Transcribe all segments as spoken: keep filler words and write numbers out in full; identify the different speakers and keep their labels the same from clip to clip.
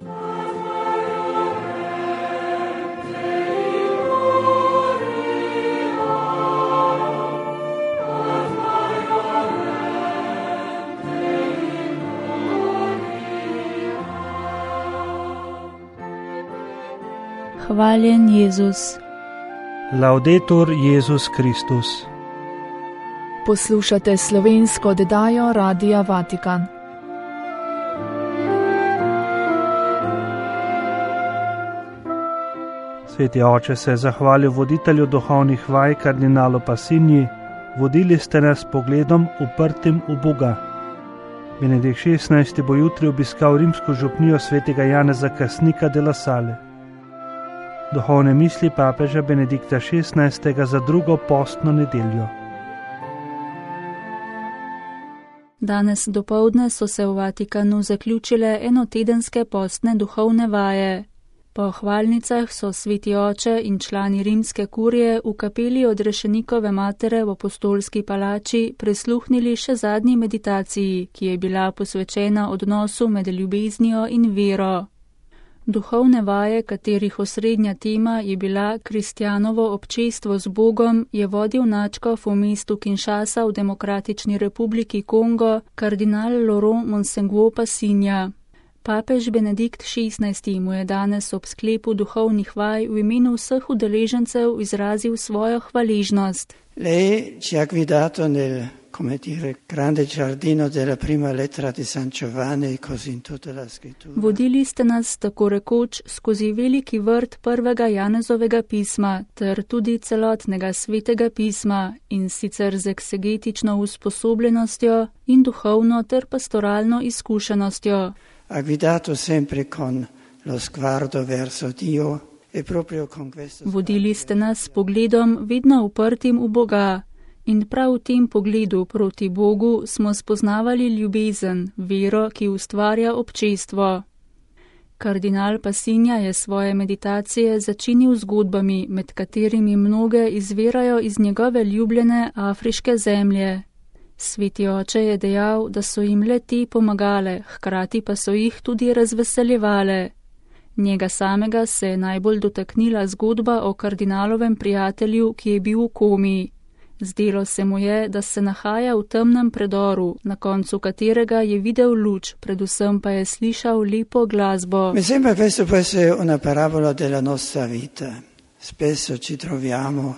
Speaker 1: Hvaljen Jezus.
Speaker 2: Laudetur Jezus Kristus.
Speaker 3: Poslušate slovensko oddajo Radia Vatikan.
Speaker 2: Sveti oče se je zahvalil voditelju duhovnih vaj kardinalu Passinji, vodili ste nas s pogledom uprtim v Boga. Benedikt šestnajsti bo jutri obiskal rimsko župnijo svetega Janeza Krstnika de la Salle. Duhovne misli papeža Benedikta šestnajstega za drugo postno nedeljo.
Speaker 1: Danes dopoldne so se v Vatikanu zaključile enotedenske postne duhovne vaje. Po hvalnicah so sveti oče in člani rimske kurije v kapeli Odrešenikove matere v apostolski palači prisluhnili še zadnji meditaciji, ki je bila posvečena odnosu med ljubeznijo in vero. Duhovne vaje, katerih osrednja tema je bila kristjanovo občestvo z Bogom, je vodil nadškof v mestu Kinshasa v Demokratični republiki Kongo, kardinal Laurent Monsengwo Passinja. Papež Benedikt šestnajsti mu je danes ob sklepu duhovnih vaj v imenu vseh udeležencev izrazil svojo hvaležnost.
Speaker 4: Lei ci ha guidato nel, come dire, grande giardino della prima lettera di San Giovanni, così in tutta la scrittura. Vodili
Speaker 1: ste nas tako rekoč skozi veliki vrt prvega Janezovega pisma ter tudi celotnega svetega pisma in sicer z eksegetično usposobljenostjo in duhovno ter pastoralno izkušenostjo.
Speaker 4: Ha guidato sempre con lo sguardo verso Dio e proprio con questo.
Speaker 1: Vodili ste nas s pogledom vedno uprtim v Boga in prav v tem pogledu proti Bogu smo spoznavali ljubezen, vero, ki ustvarja občestvo. Kardinal Passinja je svoje meditacije začinil zgodbami, med katerimi mnoge izvirajo iz njegove ljubljene afriške zemlje. Sveti oče je dejal, da so jim le te pomagale, hkrati pa so jih tudi razveseljevale. Njega samega se je najbolj dotaknila zgodba o kardinalovem prijatelju, ki je bil v komi. Zdelo se mu je, da se nahaja v temnem predoru, na koncu katerega je videl luč, predvsem pa je slišal lepo glasbo.
Speaker 4: Mi sembra questo può essere una parabola della nostra vita. Spesso ci troviamo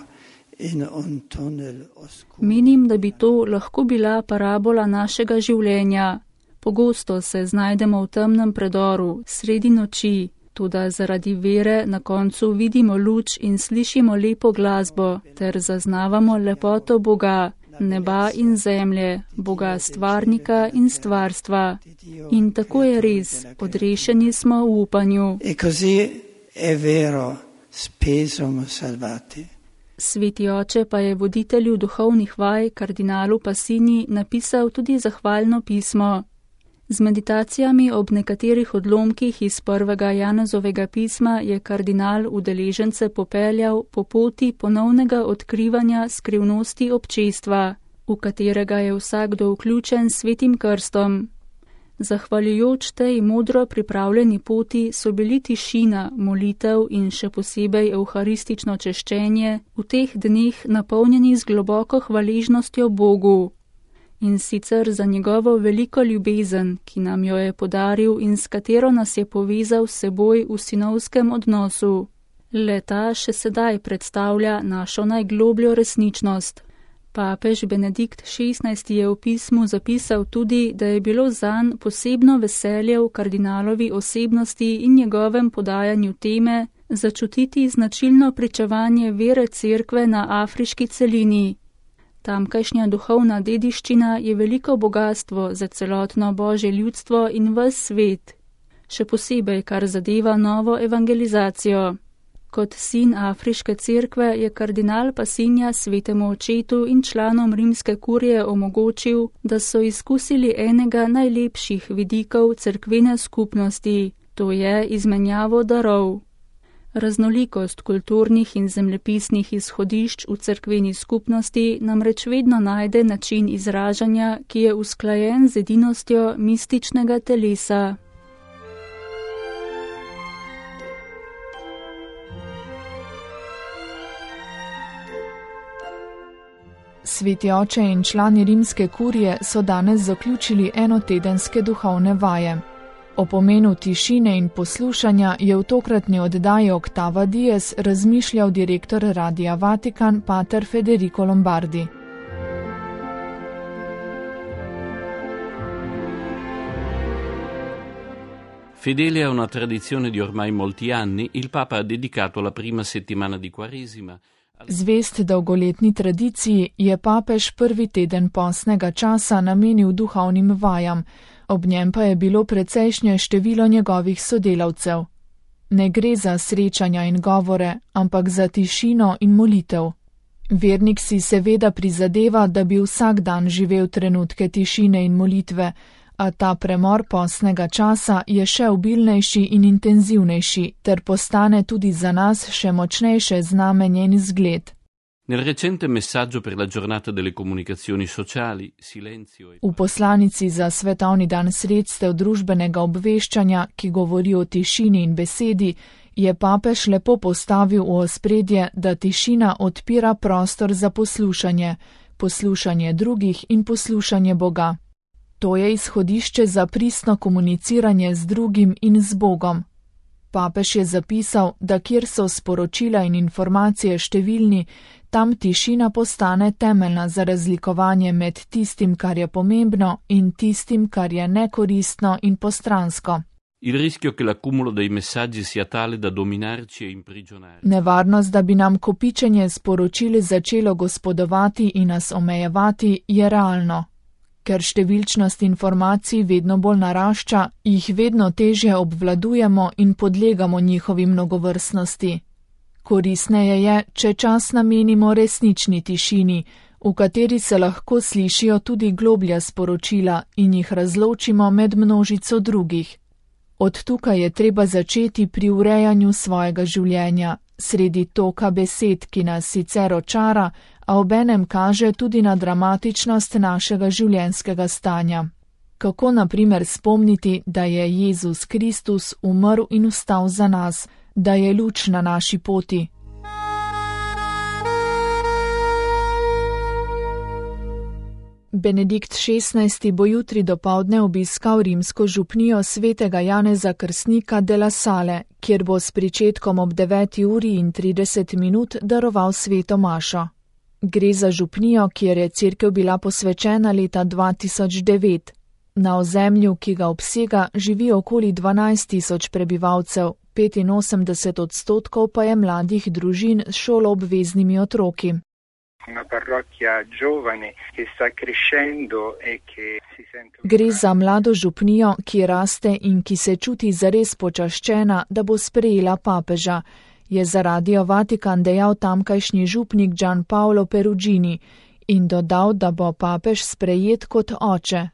Speaker 4: in un tunnel oscuro.
Speaker 1: Menim, da bi to lahko bila parabola našega življenja. Pogosto se znajdemo v temnem predoru, sredi noči, toda zaradi vere na koncu vidimo luč in slišimo lepo glasbo, ter zaznavamo lepoto Boga, neba in zemlje, Boga stvarnika in stvarstva. In tako je res, odrešeni smo v upanju.
Speaker 4: E così è vero, spesso siamo salvati.
Speaker 1: Sveti oče pa je voditelju duhovnih vaj, kardinalu Passinji, napisal tudi zahvalno pismo. Z meditacijami ob nekaterih odlomkih iz prvega Janezovega pisma je kardinal udeležence popeljal po poti ponovnega odkrivanja skrivnosti občestva, v katerega je vsakdo vključen s svetim krstom. Zahvaljujoč tej modro pripravljeni poti so bili tišina, molitev in še posebej evharistično češčenje v teh dneh napolnjeni z globoko hvaležnostjo Bogu. In sicer za njegovo veliko ljubezen, ki nam jo je podaril in s katero nas je povezal s seboj v sinovskem odnosu. Le ta še sedaj predstavlja našo najglobljo resničnost. Papež Benedikt šestnajsti je v pismu zapisal tudi, da je bilo zanj posebno veselje v kardinalovi osebnosti in njegovem podajanju teme začutiti značilno pričevanje vere cerkve na afriški celini. Tamkajšnja duhovna dediščina je veliko bogatstvo za celotno Božje ljudstvo in ves svet, še posebej kar zadeva novo evangelizacijo. Kot sin afriške cerkve je kardinal Passinja svetemu očetu in članom rimske kurije omogočil, da so izkusili enega najlepših vidikov cerkvene skupnosti, to je izmenjavo darov. Raznolikost kulturnih in zemljepisnih izhodišč v cerkveni skupnosti namreč vedno najde način izražanja, ki je usklajen z edinostjo mističnega telesa.
Speaker 3: Sveti oče in člani rimske kurije so danes zaključili enotedenske duhovne vaje. O pomenu tišine in poslušanja je v tokratni oddaji Octava Dies razmišljal direktor Radia Vatikan, pater Federico Lombardi.
Speaker 5: Fedele a una tradizione di ormai molti anni, il Papa ha dedicato la prima settimana di Quaresima.
Speaker 3: Zvest dolgoletni tradiciji je papež prvi teden postnega časa namenil duhovnim vajam, ob njem pa je bilo precejšnje število njegovih sodelavcev. Ne gre za srečanja in govore, ampak za tišino in molitev. Vernik si seveda prizadeva, da bi vsak dan živel trenutke tišine in molitve, a ta premor postnega časa je še obilnejši in intenzivnejši, ter postane tudi za nas še močnejše znamenje in zgled.
Speaker 5: Nel recente messaggio per la giornata delle comunicazioni sociali, silenzio e...
Speaker 3: V poslanici za svetovni dan sredstev družbenega obveščanja, ki govori o tišini in besedi, je papež lepo postavil v ospredje, da tišina odpira prostor za poslušanje, poslušanje drugih in poslušanje Boga. To je izhodišče za pristno komuniciranje z drugim in z Bogom. Papež je zapisal, da kjer so sporočila in informacije številni, tam tišina postane temeljna za razlikovanje med tistim, kar je pomembno, in tistim, kar je nekoristno in postransko.
Speaker 5: Il rischio che l'accumulo dei messaggi sia tale da dominarci e imprigionare.
Speaker 3: Nevarnost, da bi nam kopičenje sporočil začelo gospodovati in nas omejevati, je realno. Ker številčnost informacij vedno bolj narašča, jih vedno težje obvladujemo in podlegamo njihovi mnogovrstnosti. Koristneje je, če čas namenimo resnični tišini, v kateri se lahko slišijo tudi globlja sporočila in jih razločimo med množico drugih. Od tukaj je treba začeti pri urejanju svojega življenja, sredi toka besed, ki nas sicer očara, a obenem kaže tudi na dramatičnost našega življenjskega stanja. Kako na primer spomniti, da je Jezus Kristus umrl in vstal za nas, da je luč na naši poti? Benedikt šestnajsti bo jutri dopoldne obiskal rimsko župnijo svetega Janeza Krstnika de la Salle, kjer bo s pričetkom ob deveti uri in trideset minut daroval sveto mašo. Gre za župnijo, kjer je cerkev bila posvečena leta dva tisoč devet. Na ozemlju, ki ga obsega, živi okoli dvanajst tisoč prebivalcev, petinosemdeset odstotkov pa je mladih družin s šoloobveznimi otroki.
Speaker 6: Una parrocchia giovane che sta crescendo e che si sente...
Speaker 3: Gre za mlado župnijo, ki raste in ki se čuti zares počaščena, da bo sprejela papeža, je za Radio Vatikan dejal tamkajšnji župnik Gian Paolo Perugini in dodal, da bo papež sprejet kot oče.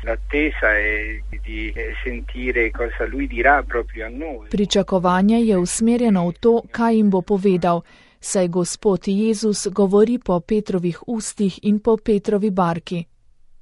Speaker 6: L'attesa è di sentire cosa lui dirà proprio a noi.
Speaker 3: Pričakovanje je usmerjeno v to, kaj jim bo povedal, saj Gospod Jezus govori po Petrovih ustih in po Petrovi barki.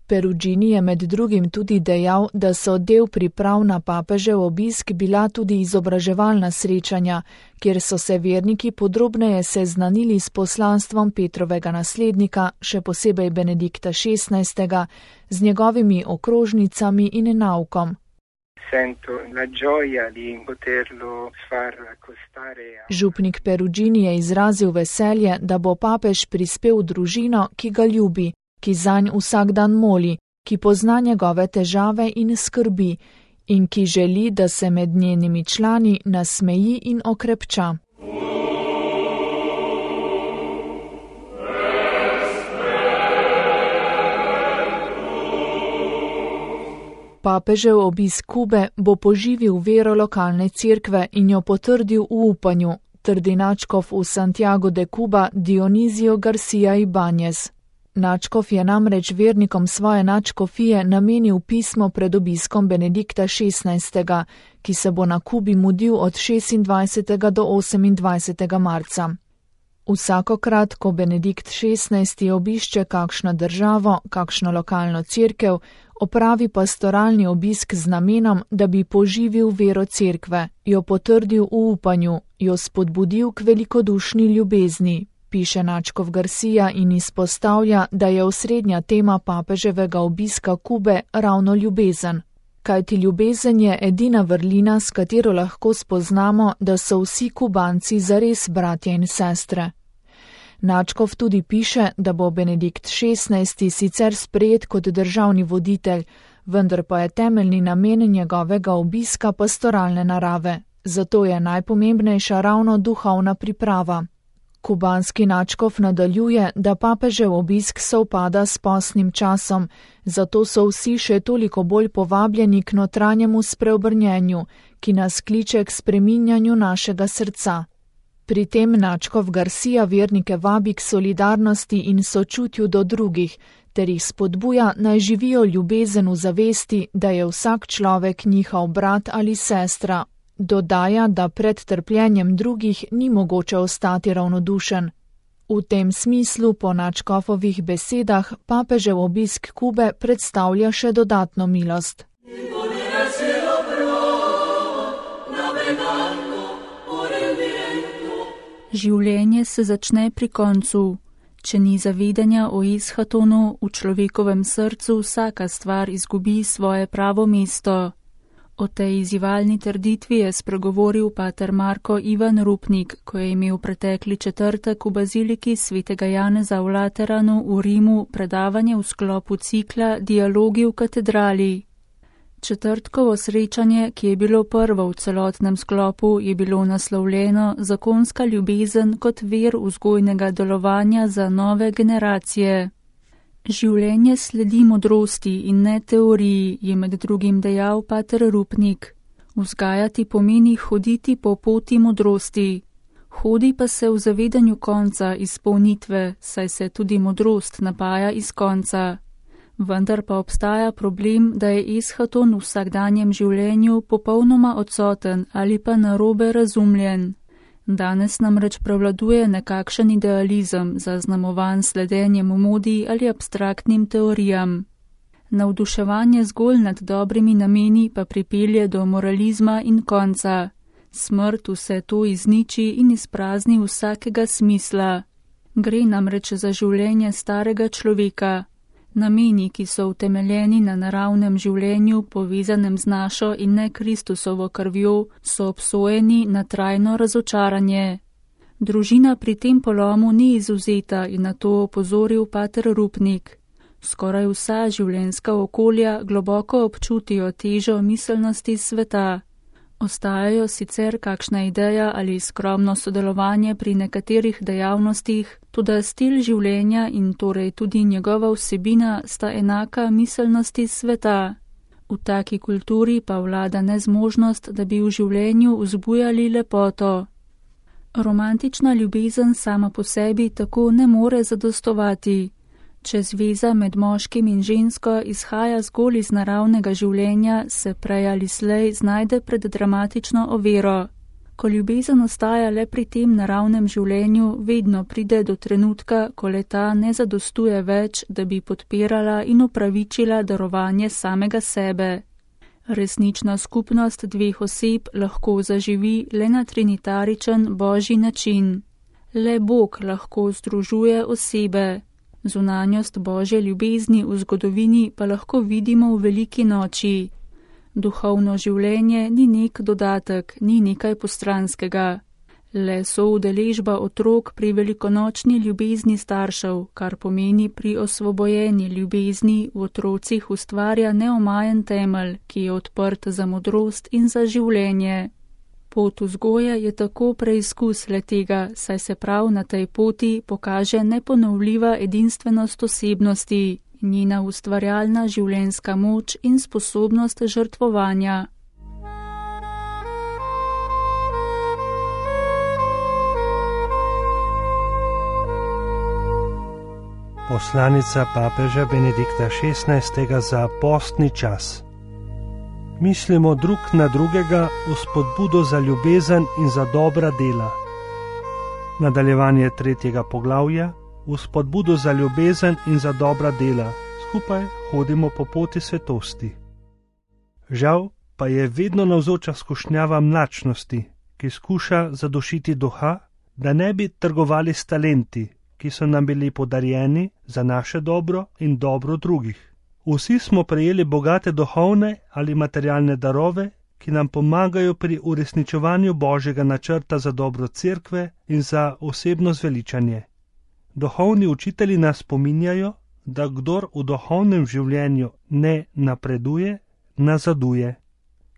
Speaker 3: Perugini je med drugim tudi dejal, da so del priprav na papežev obisk bila tudi izobraževalna srečanja, kjer so se verniki podrobneje seznanili s poslanstvom Petrovega naslednika, še posebej Benedikta šestnajstega, z njegovimi okrožnicami in naukom. Župnik Perugini je izrazil veselje, da bo papež prispel v družino, ki ga ljubi, ki zanj vsak dan moli, ki pozna njegove težave in skrbi in ki želi, da se med njenimi člani nasmeji in okrepča. Papežev obisk Kube bo poživil vero lokalne cerkve in jo potrdil v upanju, trdi nadškof v Santiago de Cuba Dionizio Garcia Ibanez. Nadškof je namreč vernikom svoje nadškofije namenil pismo pred obiskom Benedikta šestnajstega, ki se bo na Kubi mudil od šestindvajsetega do osemindvajsetega marca. Vsakokrat, ko Benedikt šestnajsti obišče kakšno državo, kakšno lokalno cerkev, opravi pastoralni obisk z namenom, da bi poživil vero cerkve, jo potrdil v upanju, jo spodbudil k velikodušni ljubezni, Piše Načkov Garcia in izpostavlja, da je osrednja tema papeževega obiska Kube ravno ljubezen. Kajti ljubezen je edina vrlina, s katero lahko spoznamo, da so vsi Kubanci zares bratje in sestre. Načkov tudi piše, da bo Benedikt šestnajsti sicer sprejet kot državni voditelj, vendar pa je temeljni namen njegovega obiska pastoralne narave, zato je najpomembnejša ravno duhovna priprava. Kubanski Načkov nadaljuje, da papežev obisk sovpada s postnim časom, zato so vsi še toliko bolj povabljeni k notranjemu spreobrnjenju, ki nas kliče k spreminjanju našega srca. Pri tem Načkov Garcia vernike vabi k solidarnosti in sočutju do drugih, ter jih spodbuja, naj živijo ljubezen v zavesti, da je vsak človek njihov brat ali sestra. Dodaja, da pred trpljenjem drugih ni mogoče ostati ravnodušen. V tem smislu, po Načkovovih besedah, papežev obisk Kube predstavlja še dodatno milost.
Speaker 1: Življenje se začne pri koncu. Če ni zavedanja o Eshatonu, v človekovem srcu vsaka stvar izgubi svoje pravo mesto. O tej izzivalni trditvi je spregovoril pater Marko Ivan Rupnik, ko je imel pretekli četrtek v baziliki svetega Janeza v Lateranu v Rimu predavanje v sklopu cikla Dialogi v katedrali. Četrtkovo srečanje, ki je bilo prvo v celotnem sklopu, je bilo naslovljeno Zakonska ljubezen kot vir vzgojnega delovanja za nove generacije. Življenje sledi modrosti in ne teoriji, je med drugim dejal pater Rupnik. Vzgajati pomeni hoditi po poti modrosti. Hodi pa se v zavedanju konca izpolnitve, saj se tudi modrost napaja iz konca. Vendar pa obstaja problem, da je Eschaton v vsakdanjem življenju popolnoma odsoten ali pa narobe razumljen. Danes namreč prevladuje nekakšen idealizem, zaznamovan sledenjem modi ali abstraktnim teorijam. Navduševanje zgolj nad dobrimi nameni pa pripelje do moralizma in konca. Smrt vse to izniči in izprazni vsakega smisla. Gre namreč za življenje starega človeka. Nameni, ki so utemeljeni na naravnem življenju, povezanem z našo in ne Kristusovo krvjo, so obsojeni na trajno razočaranje. Družina pri tem polomu ni izvzeta in na to opozoril pater Rupnik. Skoraj vsa življenjska okolja globoko občutijo težo miselnosti sveta. Ostajajo sicer kakšna ideja ali skromno sodelovanje pri nekaterih dejavnostih, toda stil življenja in torej tudi njegova vsebina sta enaka miselnosti sveta. V taki kulturi pa vlada nezmožnost, da bi v življenju vzbujali lepoto. Romantična ljubezen sama po sebi tako ne more zadostovati. Če zveza med moškim in žensko izhaja zgolj iz naravnega življenja, se prej ali slej znajde pred dramatično oviro. Ko ljubezen ostaja le pri tem naravnem življenju, vedno pride do trenutka, ko le-ta ne zadostuje več, da bi podpirala in upravičila darovanje samega sebe. Resnična skupnost dveh oseb lahko zaživi le na trinitaričen božji način. Le Bog lahko združuje osebe. Zunanjost Božje ljubezni v zgodovini pa lahko vidimo v veliki noči. Duhovno življenje ni nek dodatek, ni nekaj postranskega. Le soudeležba otrok pri velikonočni ljubezni staršev, kar pomeni pri osvobojeni ljubezni v otrocih ustvarja neomajen temelj, ki je odprt za modrost in za življenje. Pot vzgoje je tako preizkus le-tega, saj se prav na tej poti pokaže neponovljiva edinstvenost osebnosti, njena ustvarjalna življenjska moč in sposobnost žrtvovanja.
Speaker 2: Poslanica papeža Benedikta šestnajstega za postni čas. Mislimo drug na drugega v spodbudo za ljubezen in za dobra dela. Nadaljevanje tretjega poglavja v spodbudo za ljubezen in za dobra dela. Skupaj hodimo po poti svetosti. Žal pa je vedno navzoča skušnjava mlačnosti, ki skuša zadušiti duha, da ne bi trgovali s talenti, ki so nam bili podarjeni za naše dobro in dobro drugih. Vsi smo prejeli bogate duhovne ali materialne darove, ki nam pomagajo pri uresničevanju Božjega načrta za dobro cerkve in za osebno zveličanje. Duhovni učitelji nas spominjajo, da kdor v duhovnem življenju ne napreduje, nazaduje.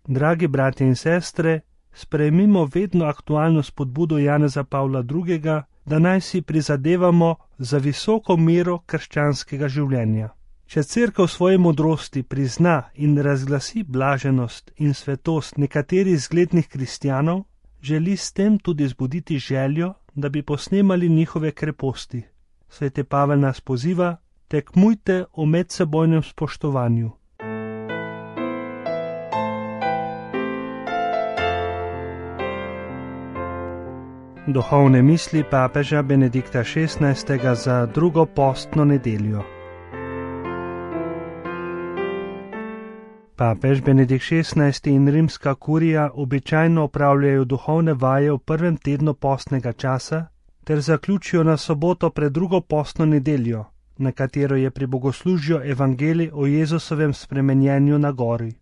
Speaker 2: Dragi bratje in sestre, sprejmimo vedno aktualno spodbudo Janeza Pavla drugega, da naj si prizadevamo za visoko mero krščanskega življenja. Če cerkev v svoji modrosti prizna in razglasi blaženost in svetost nekaterih zglednih kristjanov, želi s tem tudi zbuditi željo, da bi posnemali njihove kreposti. Sveti Pavel nas poziva: tekmujte v medsebojnem spoštovanju. Duhovne misli papeža Benedikta šestnajstega za drugo postno nedeljo. Papež Benedikt šestnajsti in rimska kurija običajno opravljajo duhovne vaje v prvem tednu postnega časa ter zaključijo na soboto pred drugo postno nedeljo, na katero je pri bogoslužju evangelij o Jezusovem spremenjenju na gori.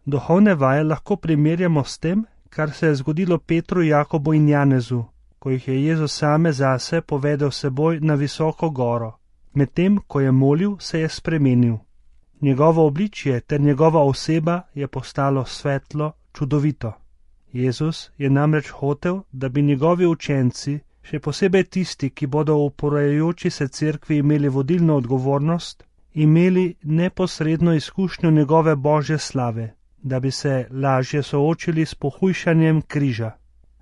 Speaker 2: Duhovne vaje lahko primerjamo s tem, kar se je zgodilo Petru, Jakobu in Janezu, ko jih je Jezus same zase povedal seboj na visoko goro. Medtem, ko je molil, se je spremenil. Njegovo obličje ter njegova oseba je postalo svetlo, čudovito. Jezus je namreč hotel, da bi njegovi učenci, še posebej tisti, ki bodo v porajajoči se cerkvi imeli vodilno odgovornost, imeli neposredno izkušnjo njegove Božje slave, da bi se lažje soočili s pohujšanjem križa.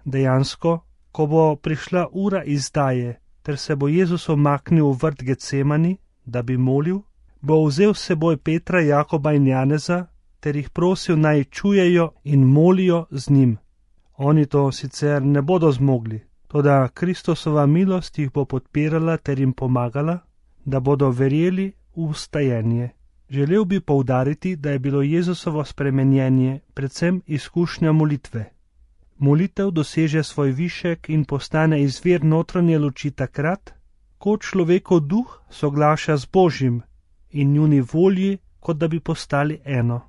Speaker 2: Dejansko, ko bo prišla ura izdaje, ter se bo Jezus omaknil v vrt Getsemani, da bi molil, bo vzel s seboj Petra, Jakoba in Janeza, ter jih prosil, naj čujejo in molijo z njim. Oni to sicer ne bodo zmogli, toda Kristusova milost jih bo podpirala ter jim pomagala, da bodo verjeli v vstajenje. Želel bi poudariti, da je bilo Jezusovo spremenjenje predvsem izkušnja molitve. Molitev doseže svoj višek in postane izvir notranje luči takrat, ko človekov duh soglaša z Božjim in njuni volji, kot da bi postali eno.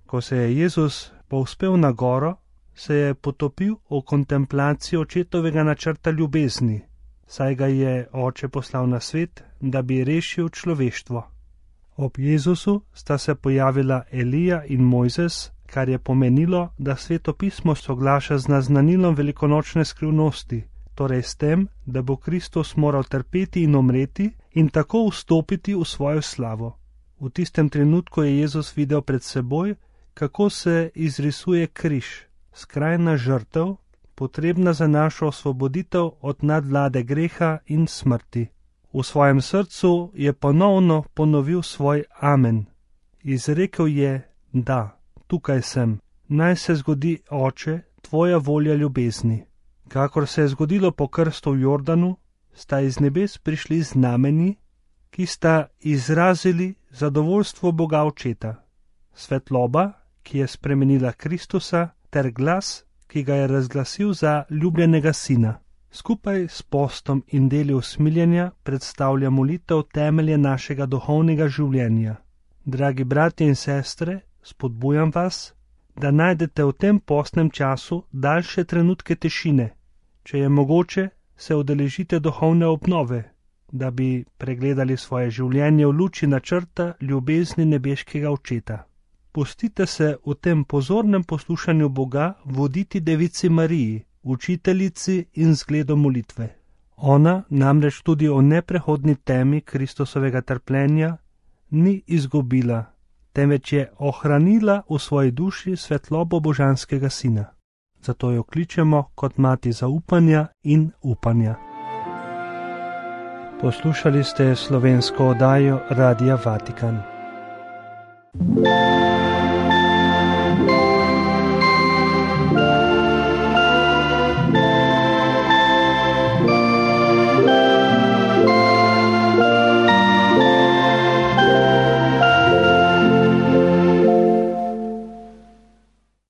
Speaker 2: Ko se je Jezus povzpel na goro, se je potopil v kontemplaciji očetovega načrta ljubezni, saj ga je Oče poslal na svet, da bi rešil človeštvo. Ob Jezusu sta se pojavila Elija in Mojzes, kar je pomenilo, da Sveto pismo soglaša z naznanilom velikonočne skrivnosti, torej s tem, da bo Kristus moral trpeti in umreti in tako vstopiti v svojo slavo. V tistem trenutku je Jezus videl pred seboj, kako se izrisuje križ, skrajna žrtev, potrebna za našo osvoboditev od nadvlade greha in smrti. V svojem srcu je ponovno ponovil svoj amen. Izrekel je: da, tukaj sem, naj se zgodi, Oče, tvoja volja ljubezni. Kakor se je zgodilo po krstu v Jordanu, sta iz nebes prišli znameni, ki sta izrazili zadovoljstvo Boga Očeta. Svetloba, ki je spremenila Kristusa, ter glas, ki ga je razglasil za ljubljenega sina. Skupaj s postom in deli usmiljenja predstavlja molitev temelje našega duhovnega življenja. Dragi bratje in sestre, spodbujam vas, da najdete v tem postnem času daljše trenutke tišine. Če je mogoče, se udeležite duhovne obnove, da bi pregledali svoje življenje v luči načrta ljubezni nebeškega Očeta. Pustite se v tem pozornem poslušanju Boga voditi Devici Mariji, učiteljici in zgledu molitve. Ona namreč tudi o neprehodni temi Kristusovega trpljenja ni izgubila, temveč je ohranila v svoji duši svetlobo božanskega sina. Zato jo kličemo kot mati zaupanja in upanja. Poslušali ste slovensko oddajo Radia Vatikan.